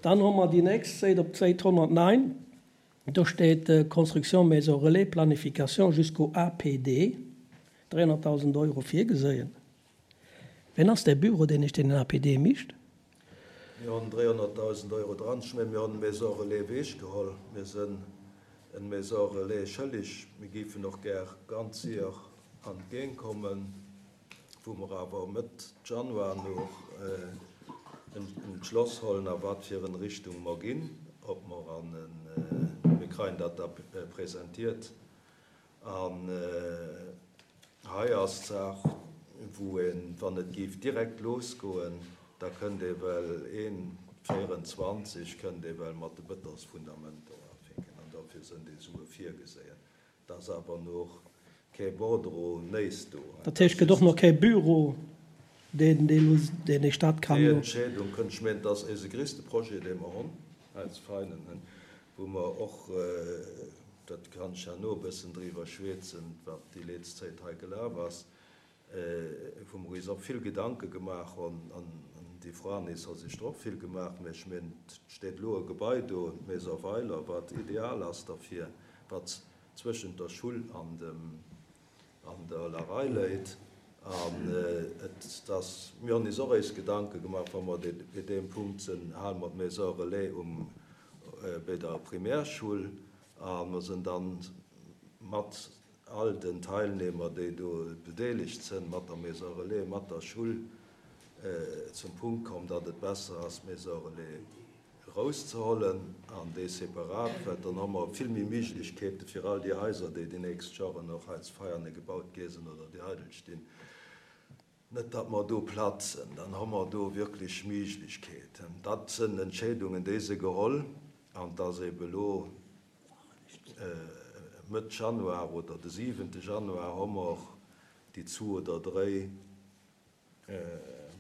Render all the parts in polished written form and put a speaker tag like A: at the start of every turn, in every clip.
A: Dann hu mer déi nächst Säit, op d'Säit 109, do steet Construction maison relais, planification jusqu'au APD, 300.000 Euro virgeséien. Ween ass däi Büro, deen iech deen APD micht?
B: Mir hunn 300.000 Euro dran. Ech mengen, mir hunn d'Maison relais ewechgeholl. Mir sinn en Maison relais schëllig. Mir géifen och gär ganz séier an d'Géing kommen, wou mer awer Mëtt Januar nach en Entschloss hollen, a wat fir en Richtung mer ginn, ob mer an en, mir kreien dat da presentiert. An hei ass d'Saach, wou een, wann et géif direkt losgoen, da kënnt ee well een 24 kënnt ee well mat de Bëtonsfundamenter ufänken. An dofir sënn déi Sue virgeséien. Et ass awer nach kee Bordereau néis do.
A: Dat heescht, et gëtt och nach kee Büro, deen deen eech dat kann.
B: Déi Entscheedung kënnt. Ech mengen, et ass eise gréisste Projet, dee mer hunn als Veinen, wou mer och, dat kann ech herno e bëssen driwwer schwätzen, wat déi leetz Zäit hei gelaf ass, wou mer eis och vill Gedanke gemaach hunn, an déi Franis hu sech der och vill gemaach, mä ech mengen, et steet elo e Gebai do, d'Maison Weiler, wat ideal ass derfir, wat zwëschent der Schull an dem, an der Larei léit. An et ass, mir hunn eis och eis Gedanke gemaach, wa mer bei deem Punkt sinn, hale mer d'Maison relais um, bei der Primärschull a mer sinn dann mat all den Teilnehmer, déi do bedeelegt sënn, mat der Maison relais, mat der Schull, zum Punkt komm, datt et besser ass, d'Maison relais erauszehollen an déi separat, well dann hu mer vill méi Méiglechkeete fir all déi Haiser, déi déi nächst Joren och hei zu Veianen gebaut gi sinn oder déi eidel stinn, net datt mer do platzen. Dann hu mer do wierklech Méiglechkeeten. Dat sënn Entscheedungen, déi si geholl an et ass eebe elo Mëtt Januar oder de siwente Januar hu mer déi zwu oder dréi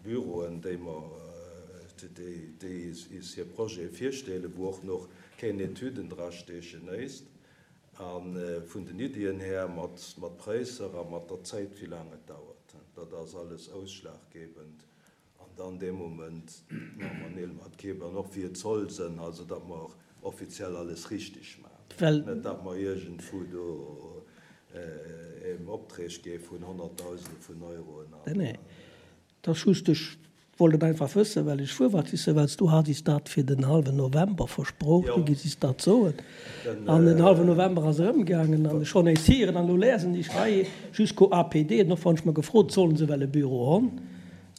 B: Büroen, déi mer, déi is hir Projete virstellen, wou och nach keng Etüden drasteechen éist, a vun den Iddien här mat Präisser a mat der Zäit, wéi laang et dauert, dat ass alles ausschlaggebend. An dann dee Moment maache mer Neel mat Keep an och wéi et soll sënn, also datt mer och offiziell alles richtig maachen, net datt mer iergendwou do em Opträg gi vun Honnertdausende vun Euroen
A: an. Nee, dat ass just, ech wollt et einfach wëssen, well ech fuer wat wisse, well s du hat is dat fir den hallwen November versproch, du giss is dat soen an den hallwen November ass erëmgaangen an ech schonn éis hieren an elo lesen ech hei jusqu'au APD, an och wann ech mer gefrot, sollen se well e Büro honn?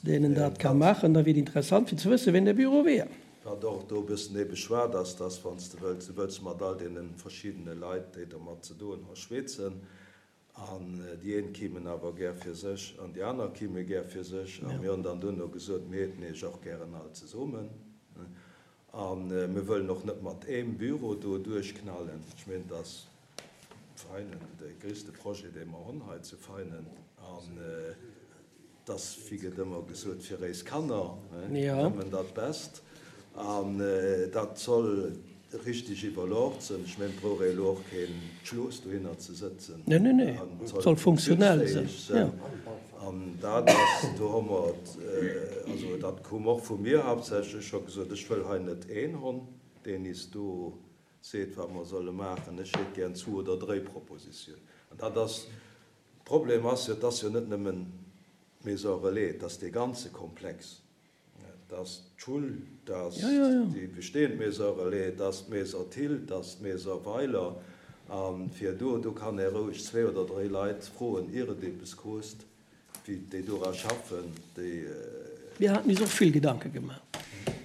A: Deen en dat ka maachen, da wier et interessant fir ze wëssen, ween dee Büro wier.
B: Wat och do e bëssen ebe schwaart ass, dass wann s de wëlls, du wëlls mat all deene verschiddene Leit, déi dermat ze doen hu schweetzen, an déi een kimen awer gär fir sech an déi aner kime gär fir sech, a mir hunn dann duerno gesot, mir hätten iech och gären all zesummen a mir wëllen och net mat eem Büro do duerchknallen. Ech mengen, dass Veinen de gréisste Projet, dee mer hunn hei zu Veinen, an 't ass, wéi gëtt ëmmer gesot, fir éis Kanner nëmmen dat Best. An dat soll richteg iwwerlort sinn. Ech mengen, et brauch ee elo och keen Schloos dohinner ze sëtzen.
A: An et soll funktionell sinn.
B: An dat ass, do hu mer, also dat koum och vu mir haaptsächlech, ech hu gesot, ech wëll hei net een Hond, deen is do seet, wat mer solle maachen. Ech hätt gär zwu oder dréi Propositiounen. An dat ass, Problem ass jo, et ass jo net nëmmen d'Maison relais, et ass dee ganze Komplex. Et ass d'Schull, et ass déi bestehend Maison relais, et ass d'Maison Thill, et ass d'Maison Weiler. A fir do, do kann ee roueg zwee oder dréi Leit froen, ier et eppes kost, wéi déi dora schaffen, déi.
A: Mir haten is och vill Gedanke gemaach.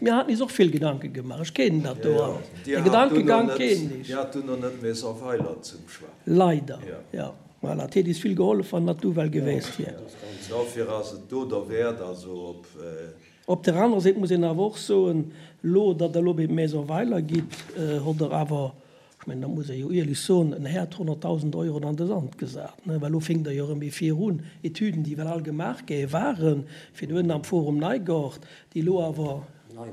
A: Mir haten is och vill Gedanke gemaach. Ech kennen dat do alles. De Gedankegang kennen ech.
B: Dir hat dunn och net Maison Weiler zum Choix.
A: Leider, jo. Voilà, et hätt is vill gehollef, wann dat do well geweest wier.
B: Dofir ass et do derwäert, also op.
A: Op der anerer Säit muss een awer och soen, elo, datt Der elo bei d'Maison Weiler gitt, hott Der awer Ech mengen, dat muss ee jo ierlech soen, en Här hat 100.000 Euroen an de Sand gesat, ne, well elo fénkt Der jo erëm ee virun, Etüden, déi well all gemaach gi waren, fir do ënnen am Forum Neigort, déi elo awer.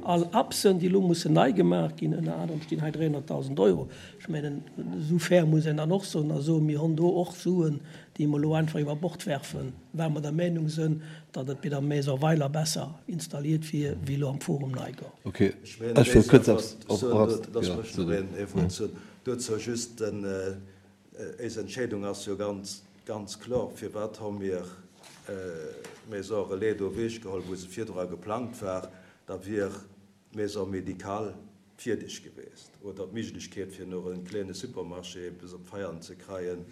A: All Apsen, déi elo mussen nei gemaach ginn, ënner anerem stinn hei 300.000 Euro. Ech mengen, esou fair muss een dann och soen a soen, mir hunn do och Suen, déi mer elo einfach iwwer Bord werfen, well mer der Meinung sënn, datt et bei der Maison Weiler besser installiert wier wéi elo am Forum Neigaart.
B: Ok, ech wëll kuerz eppes, Lass mech nach ee Wuert soen dozou. Just, Eis Entscheedung ass jo ganz, ganz kloer. Firwat hu mir d'Maison relais do ewechgeholl, wou se virdru geplangt war? Da wier d'Maison médicale fierdeg geweest oder d'Méiglechkeet, fir nach e kleene Supermarché eppes op d'Feiern ze kreien,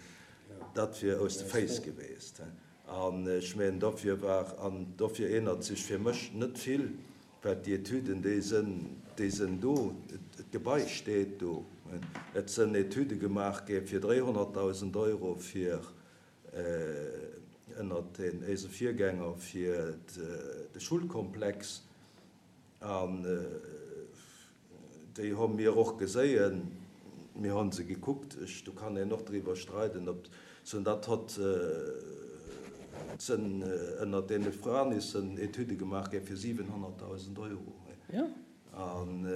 B: dat wier aus de Féiss geweest. An ech mengen, dofir war, an dofir ännert sech fir mech net vill, Well déi Etüden, déi sënn, déi sënn do, d'Gebai steet do. Et sënn Etüde gemaach gi fir 300.000 Euro fir ënnert den éise Virgänger fir de Schulkomplex. An Déi hu mir och geséien, mir hu se gekuckt. Ech, do kann een och driwwer streiden, ob se dat hott sënn ënnert deene Franissen Etüde gemaach gi fir 700.000 Euro. An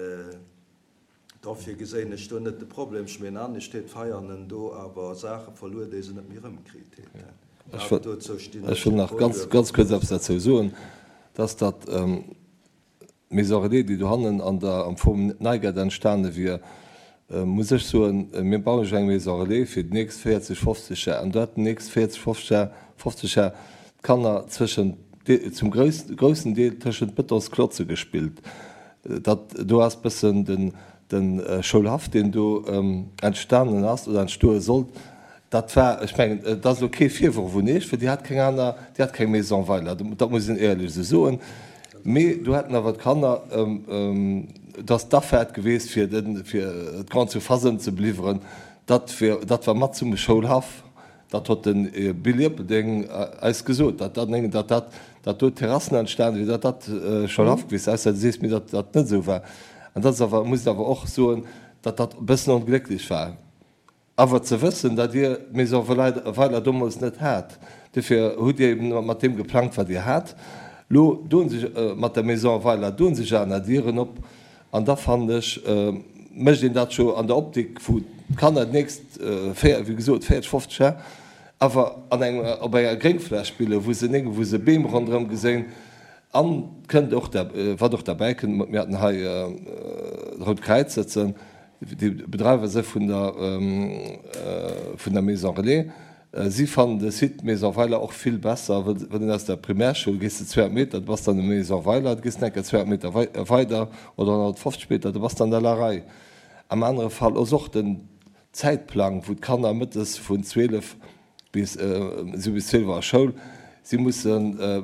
B: dofir geséien ech do net de Problem. Ech mengen, anescht huet d'Veianen do awer Saache verluer, déi se net méi erëmkritt huet.
C: Ech wëll nach ganz, ganz kuerz eppes derzou soen, dass dat, D'Maison relais, déi dohannen an der, am Forum Neigaart entstane wier, muss ech soen, mir bauen ech eng Maison relais fir déi nächst 40, 50 Jar. An do hätten déi nächst 40, 50 Jar, 50 Jar d'Kanner zwëschent, zum groussen Deel tëschent Betonsklotze gespillt. Dat do ass bëssen den, de Schoulhaff, deen do entstanen ass oder entstoe sollt. Dat war, ech mengen, et ass elo kee Virworf un Iech, well Dir hat keng aner, Dir hat keng Maison Weiler, dat muss een éierlech esou soen. Mee do hätten awer d'Kanner, et ass d'Afaart geweest, fir de, fir d'Grande Surface ëmzebeliwweren, dat wär, dat war mat zum Schoulhaff, dat hott de Bill Ierpeldeng eis gesot, datt dat, datt dat, datt do Terrassen entstanen wier, datt dat Schoulhaff geweest wär, ausser du sees mir, datt dat net esou war. An dat ass awer, muss een awer och soen, datt dat e bëssen onglécklech war. Awer ze wëssen, datt Dir d'Maison Weiler domols net hat, duerfir hutt Dir eben mat deem geplangt, wat Dir hat. Lo doen sech mat der Maison Weiler doen sech aner Dieren op an da fannen ech, mécht een dat scho an der Optik, wou d'Kanner déi nächst 4, wéi gesot 40, 50 Jar awer an engem, op enger Gréngfläch spillen, wou se néng, wou se Beem ronderëm geséin. An kënnt och, wat och derbäi kënnt, mir haten hei d'Rout Kräiz sëtzen, Déi Bedreiwer se vun der vun der Maison Relais, si fannen de Site Maison Weiler och vill besser, wëll wann een aus der Primärschoul gees de 200 Meter, du bass dann um Maison Weiler, du gees nach eng Kéier 200 Meter weider oder 150 Meter, du bass dann an der Larei. Am anere Fall ass och den Zäitplang, wou d'Kanner mëttes vun 12 bis si bis 12 Auer Schoul. Si musse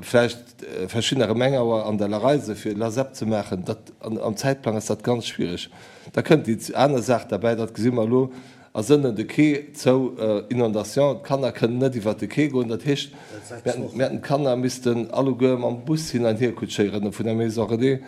C: vläicht verschiddener ëm eng Auer an der Larei se fir Lasep ze maachen. Dat am Zäitplang ass dat ganz schwiereg. Da kënnt déi aner Saach derbäi, dat gesi mer elo, ass ënnen de Quai zou, Inondation, d'Kanner kënnen net iwwert de Quai goen. Dat heescht, mir hätten d'Kanner missten alleguer mam Bus hin an hier kutschéieren vun der Maison Relais.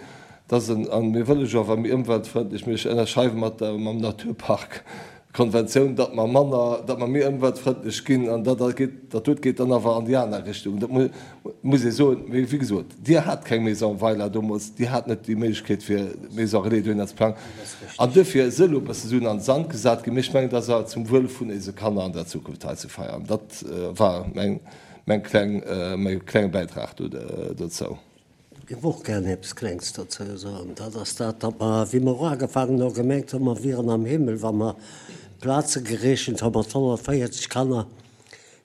C: Dat ass en, a mir wëlle jo awer méi ëmweltfrëndlech, mir ënnerschreiwe mat der, mam Naturpark Konventioun, datt mer manner, datt mer méi ëmweltfrëndlech ginn, an dat geet, dat dote geet dann awer an déi aner Richtung. Dat muss ee soen. Mee wéi gesot, Dir hat keng Maison Weiler deemools, Dir hat net déi Méiglechkeet fir Maison Relais dohinner ze plangen. An duerfir si elo e bësse Suen an de Sand gesat ginn. Mee ech mengen, dat ass awer zum Wuel vun eise Kanner an der Zukunft hei zu feiern. Dat war mäin, mäin kleng, mäi klenge Bäitrag do dozou.
D: Géif och gären eppes Klengs dozou soen. Dat ass dat, datt mer, wéi mer uagefaangen hu, gemengt hu mer wieren am Himmel, wa mer Plaze gerechent hu mat 140 Kanner,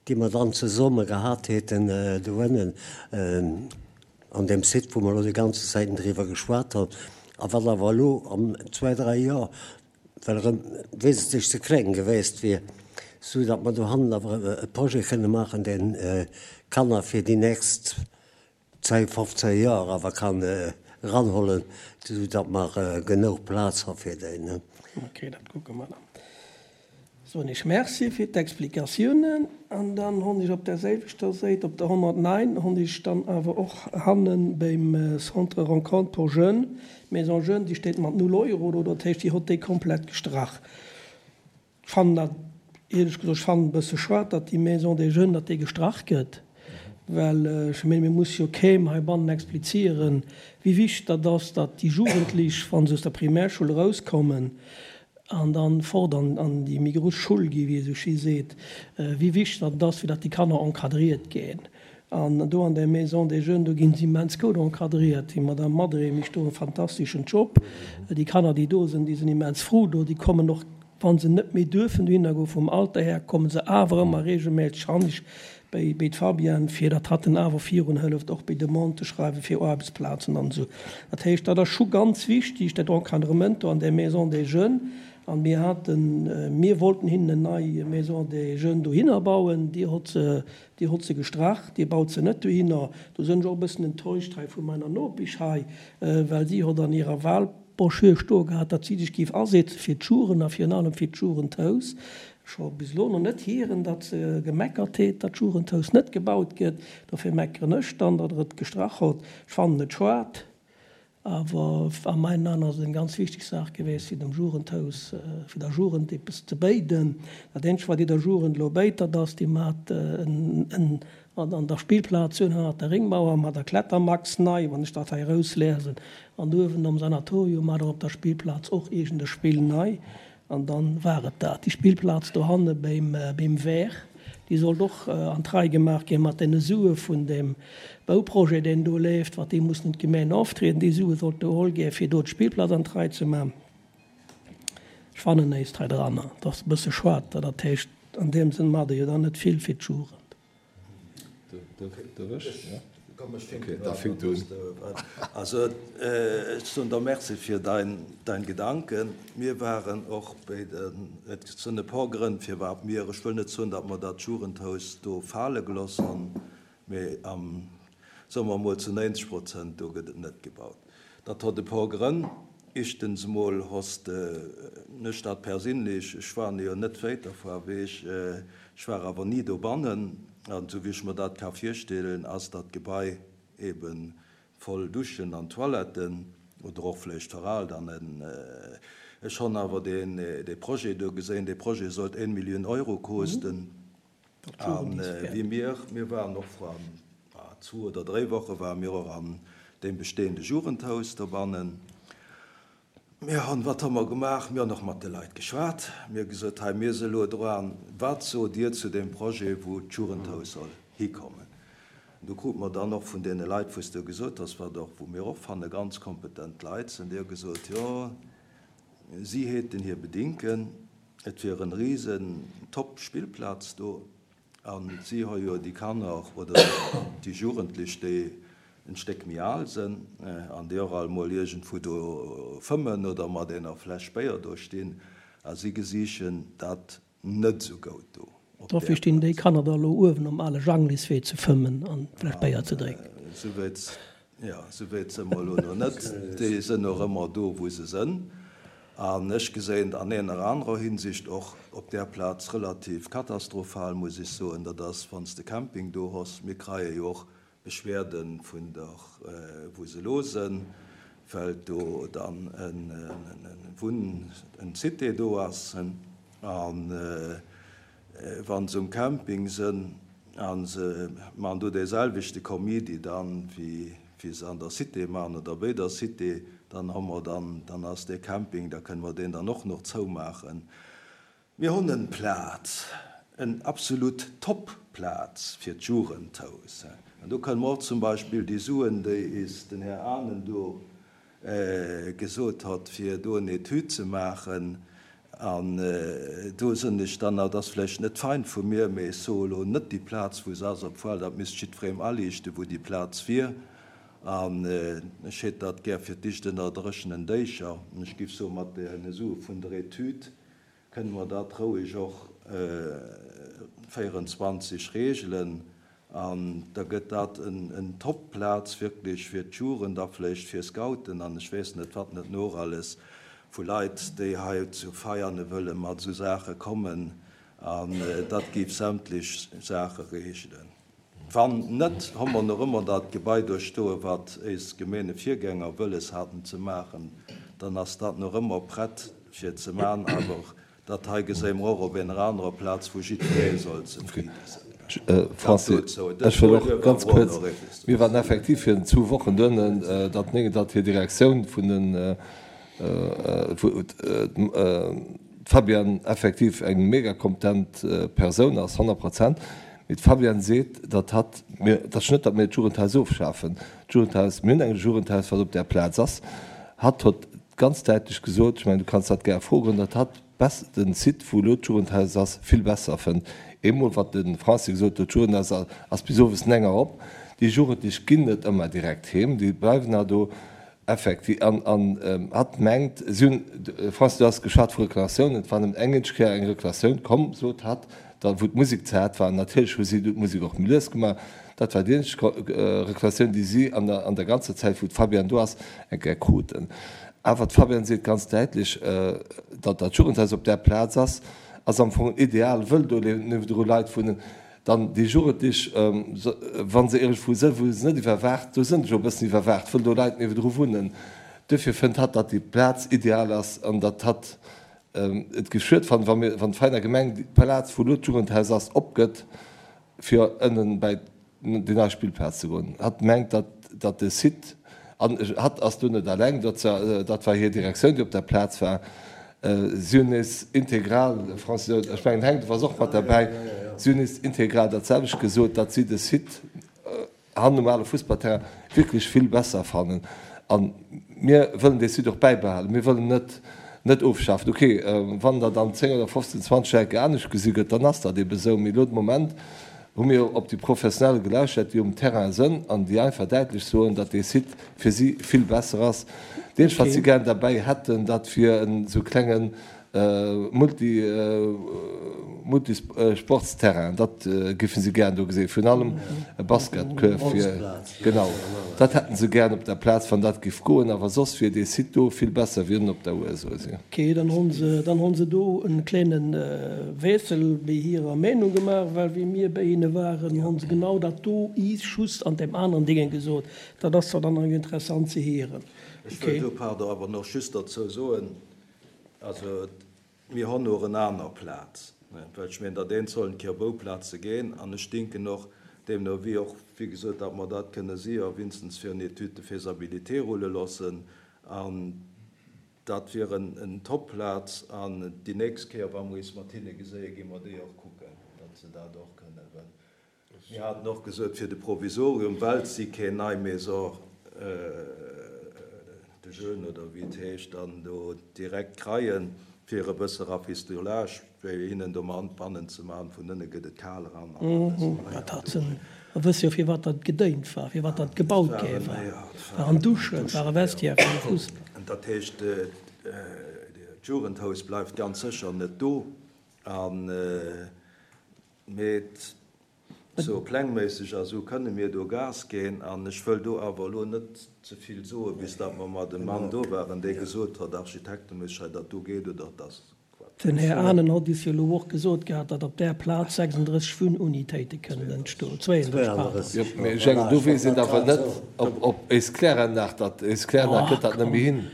D: déi mer dann zesumme gehat hätten doënnen an deem Site, wou mer elo déi ganze Zäiten driwwer geschwat hunn. A wat awer elo an zwäi, dräi Joer well erëm wesentlech ze kleng geweest wier, sou datt mer dohannen awer e Projet kënne maachen, deen d'Kanner fir déi nächst 10, 15 Joer awer kann eranhollen, esou datt mer genuch Plaz ha fir déi.
A: Ok, dat kucke mer dann. Soen ech Merci fir d'Explikatiounen. An dann honn ech op där selwechter Séit, op der 109, honn ech dann awer och hannen beim Centre Rencontre pour Jeunes, Maison Jeunes, déi steet mat null Euro do, dat heescht, déi hott déi komplett gestrach. Ech fannen dat, éierlech gesot, ech fannen e bësse schued, datt déi Maison des Jeunes, datt déi gestrach gëtt. Well ech menge mir muss jo keem heibannen explizieren, wéi wichteg dat ass, datt déi Jugendlech, wa se aus der Primärschoul erauskommen an dann fort an an déi méi grouss Schull gi, wéi ee sou schéi seet, wéi wichteg dat ass, fir datt déi Kanner encadriert ginn. An do an där Maison des Jeunes, do ginn se immens goud encadriert. Déi Madame Madré mécht do e fantasteschen Job. Déi Kanner, déi do sinn, déi sinn immens frou do. Déi kommen och, wa se net méi duerfen dohinner goen, vum Alter här, komme se awer ëmmer regelméisseg hannescht béi d'Fabienne, fir datt hatt en awer virun hëlleft, och béi Demanden ze schreiwen fir Aarbechtsplazen an esou. Dat heescht, dat ass scho ganz wichtig, dat Encadrement do an där Maison des Jeunes. An mir haten, mir wollten hinnen en nei Maison des Jeunes dohinner bauen. Dir hott se, Dir hott se gestrach, Dir baut se net dohinner. Do sënn ech och e bëssen enttäuscht hei vu meiner Nopisch hei, well si hott an hirer Wahlbroschür stoe gehat, datt si sech géif asetze fir d'Jugend a virun allem fir d'Jugendhaus. Ech hu bis elo nach net hieren, datt se gemeckert heet, datt d'Jugendhaus net gebaut gëtt. Dofir meckeren ech dann, datt Der et gestrach hott. Ech fannen et schuad. Awer a meinen Aen ass et eng ganz wichteg Saach geweest, fir dem Jugendhaus, fir der Jugend eppes ze béiden. Dat eenzegt, wat Dir der Jugend elo béit, dat ass, Dir maacht en an der Spillplaz hunn hannert der Ringmauer mat der Klettermax nei, wann ech dat hei erausliesen, an uewen am Sanatorium maacht Der op der Spillplaz och iergend e Spill nei. An dann war et dat. Déi Spillplaz dohanne beim Wehr, déi sollt och an d'Rei gemaach ginn mat deene Sue vun deem Bauprojet, deen do leeft, wat déi mussen un d'Gemeen oftrieden. Déi Sue sollte geholl ginn, fir do d'Spillplaz an d'Rei ze maachen. Ech fannen éist hei dranner. Et ass e bësse schued. Dat heescht, an deem Sënn maacht Der jo dann net vill fir d'Jugend.
B: Also ech soen der Merci fir dein Gedanken. Mir waren och béi den, et sënn e por Grënn firwat mir, ech wëll net soen, datt mer dat Jugendhaus do fale geloss honn, mee am, soe mer emol zu 90 Prozent do gëtt et net gebaut. Dat hott e por Grënn. Ischtens emol hoss de nech dat persinlech, ech war jo net wéit derfoar weech, ech war awer ni dobannen, an esou wéi ech mer dat ka virstellen, ass dat Gebai eben voll Duschen an Toiletten, oder och vléicht veraalt, an ech honn awer deen dee Projet do geséin, dee Projet sollt éen Millioun Euro koosten, an wéi mir, mir waren och vor zwou oder dréi Woche ware mir och an deem bestehende Jugendhaus dobannen. Mir hunn, wat hu mer gemaach? Mir hunn och mat de Leit geschwat. Mir hu gesot, hei mir si elo dran, wat sot Dir zu deem Projet, wou d'Jugendhaus soll hikommen? Do krute mer dann och vun deene Leit, wou s de gesot has, wat och, wou mir och fanne ganz kompetent Leit sinn, déi hu gesot, jo, si häten hir Bedinken, et wier en risen top Spillplaz do. An si hu jo déi Kanner oder déi Jugendlech, déi en Stéck méi al sënn an déi och alt mol iergendwou do fëmmen oder mat ener Fläsch Béier do stinn, a si gesichen dat net esou goud do
A: op där Dofir stinn déi Plaz. Kanner da elo uewen um ale Jangliswee ze fëmmen an Fläsch Béier ze drénken.
B: Souwäit, jo, souwäit së mer elo nach net. Déi sënn och ëmmer do, wou se sënn. An ech geséin an eener anerer Hinsicht och op där Plaz relativ katastrophal, muss ech soen, dat ass, wann s de Camping do hoss. Mir kreie jo och Beschwerde vun der, wou se elo sënn, well do dann e Wunn, en Cité do ass. A wa se um Camping sënn a se man do dee selwechte Komidi dann, wéi wéi se an der Cité man oder béi der Cité, dann hu mer dann, dann ass dee Camping, da kënne mer deen dann och nach zoumaachen. Mir hunn en Plaz, en absolut Top-Plaz fir d'Jugendhaus. An do kënne mer och zum Beispill déi Suen, déi is den Här Anen do gesot hott, fir do en Etüd ze maachen, an do sënn ech dann, dat ass vläicht net fein vu mir, mee ech soe lo net déi Plaz, wou se ass, obwuel dat misst jiddwerem aliichten, wou déi Plaz wier, an ech hätt dat gär fir d'éischt ënner dréchenen Déicher, an ech giff soe mat deene Sue vun der Etüd kënne mer dat roueg och 24 regelen an da gëtt dat en Top-Plaz wierklech fir d'Jugend a vläicht fir Scouten an ech weess net wat net noch alles vu Leit, déi hei zu Veiane wëlle mat esou Saache kommen an dat géif sämtlech Saache regelen. Wann net, hu mer nach ëmmer dat Gebai do stoen, wat éis Gemeengevirgänger wëlles haten ze maachen. Dann ass dat nach ëmmer prett fir ze maachen. Awer dat hei geséie mer och op ener anerer Plaz, wou jiddweree soll zefridde sinn.
C: Francis, ech wëll och ganz kuerz, mir waren effektiv virun zwou Wochen doënnen, datt menge datt hir Direktioun vun den, wou d'Fabienne effektiv eng mega kompetent Persoun ass, 100 Prozent, mee d'Fabienne seet, datt hatt, mir, et ass net, datt mir d'Jugendhaus ofschafen, d'Jugendhaus, mir hunn eng Jugendhaus, wat op där Plaz ass, hatt huet ganz däitlech gesot, ech mengen, du kanns dat gär froen, datt hatt bess den Site wou elo d'Jugendhaus ass vill besser fënnt. Eemol wat de Francis gesot huet, d'Jugendhaus ass bis owes 9 Auer op, déi Jugendlech ginn net ëmmer direkt heem, déi bleiwen nach do effekti an an hatt mengt si hunn, Francis du has geschwat vu Reklamatiounen, et war nëmmen eng eenzeg Kéier eng Reklamatioun komm, sot hatt, da wou d'Musek ze haart war, natierlech hu si du d'Musek och méi lues gemaach, dat war déi eenzeg Reklamatioun déi si an der an der ganzer Zäit wou d'Fabienne do ass eng Kéier kruten. Awer d'Fabienne seet ganz däitlech, datt dat Jugendhaus op där Plaz ass, ass am Fong ideal, wëll do niewendru Leit wunnen. Dann déi Jugendlech, wa se iergendwou sënn, wou se net iwwerwaacht, do sënn se jo e bëssen iwwerwaacht, wëll do Leit niewendru wunnen. Duerfir fënnt hatt, datt déi Plaz ideal ass an datt hatt et géif schued fannen, wa mir, wann d'Veiner Gemeng déi Plaz, wou elo d'Jugendhaus ass, opgëtt, fir ënnen bäi déi nei Spillplaz ze goen. Hatt mengt, datt, datt de Site, an hatt ass do net alleng, dat war, dat war hir Direktioun, déi op der Plaz war, si hunn nees integral, Francis, ech mengen, Henk, du waars och mat derbäi, si hunn nees integral dat selwecht gesot, datt si de Site, hannen um ale Fussballterrain wierklech vill besser fannen. A mir wëllen dee Site och bäibehalen. Mir wëllen net net ofschafen. Ok, wann dat an 10 oder 15, 20 Joer enke anescht gesi gëtt, dann ass dat eebe sou. Mee elo de Moment hu mir op déi Professionell gelauschtert, déi um Terrain sënn an déi einfach däitlech soen, datt dee Site fir si vill besser ass. Dat eenzegt, wat si gären derbäi hätten, dat wier en esou klengen Multi, Multisportsterrain, dat géife si gären do gesinn, virun allem e Basketkuerf fir, genau, dat hätte se gären op der Plaz, wann dat géif goen, awer soss wier dee Site do vill besser wéi ënnen op der Our, soe si.
A: Ok, dann hu se, dann hu se do e kleene Wiessel béi hirer Meenung gemaach, well wéi mir béi hinne waren, hu se genau dat do is just an deem aneren Dingen gesot. Dat ass zwar dann nach interessant ze hieren.
B: Ech wëll do, pardon, awer nach just derzou soen, Also mir hon och en aner Plaz, well ech meen, datt een sollen ké op Bouplaze geen an ech dinken och deemno wéi och, wéi gesot, datt mer dat kënne sier winstens fir en Étude de faisabilité rulle loossen an dat wier en Top-Plaz an déi nächst Kéier, wa mer is mat hinne geséie, gi mer déi och kucken, datt se dat och kënnen, well Mir haten och gesot, fir de Provisorium, well si keen nei Maison de jeunes oder wéi et heescht dann do direkt kreien, fir e bësse Rafistolage bei hinnen do bannen ze maachen. Vun ënne gëtt et kal eran an alles.
A: Dat hat se, mer wësse jo firwat dat gedéint war, firwat dat gebaut gi war, waren Duschen, ware Vestiaire fir de Fussball.
B: Dat heescht, d'Jugendhaus bleift ganz sécher net do. An Mee sou plängméisseg a sou kënne mir do Gas ginn. An ech wëll do awer elo net ze vill soen, bis datt mer mat dem Mann do waren, dee gesot hott, architekteméisseg hei, datt do geet oder et ass
A: Quatsch. Den Här Anen hott is jo elo och gesot gehat, datt op där Plaz 36 Wunnunitéite kënnen entstoen, 32, pardon.
C: Jo, mee ech mengen, do weess een awer net, ob éis Kläranlag dat, éis Kläranlag gëtt dat net méi hin.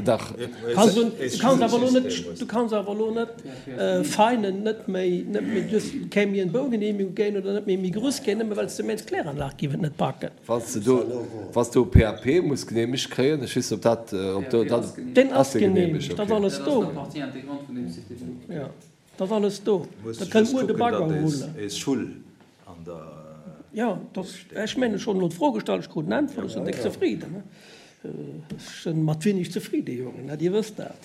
C: Dach.
A: Du kanns awer elo net, du kanns awer elo net Veinen net méi, net méi duerch keng méi en Baugenehmigung géien oder net méi méi gruss géien, nëmme well s de mengs d'Kläranlag giff et net packen.
C: Wann s de do, wann s de do PAP muss genehmegt kréien, ech weess net ob dat, ob do dat.
A: Deen ass genehmegt, dat ass alles do. Jo. Dat ass alles do. Da kënnt muer de Bagger rullen. Jo, ech mengen, ech hunn elo d'Fro gestallt, ech krut en Äntwert, ech sinn déck zefriden. Ech sinn mat wenig zefriden, Jongen, dir wësst dat.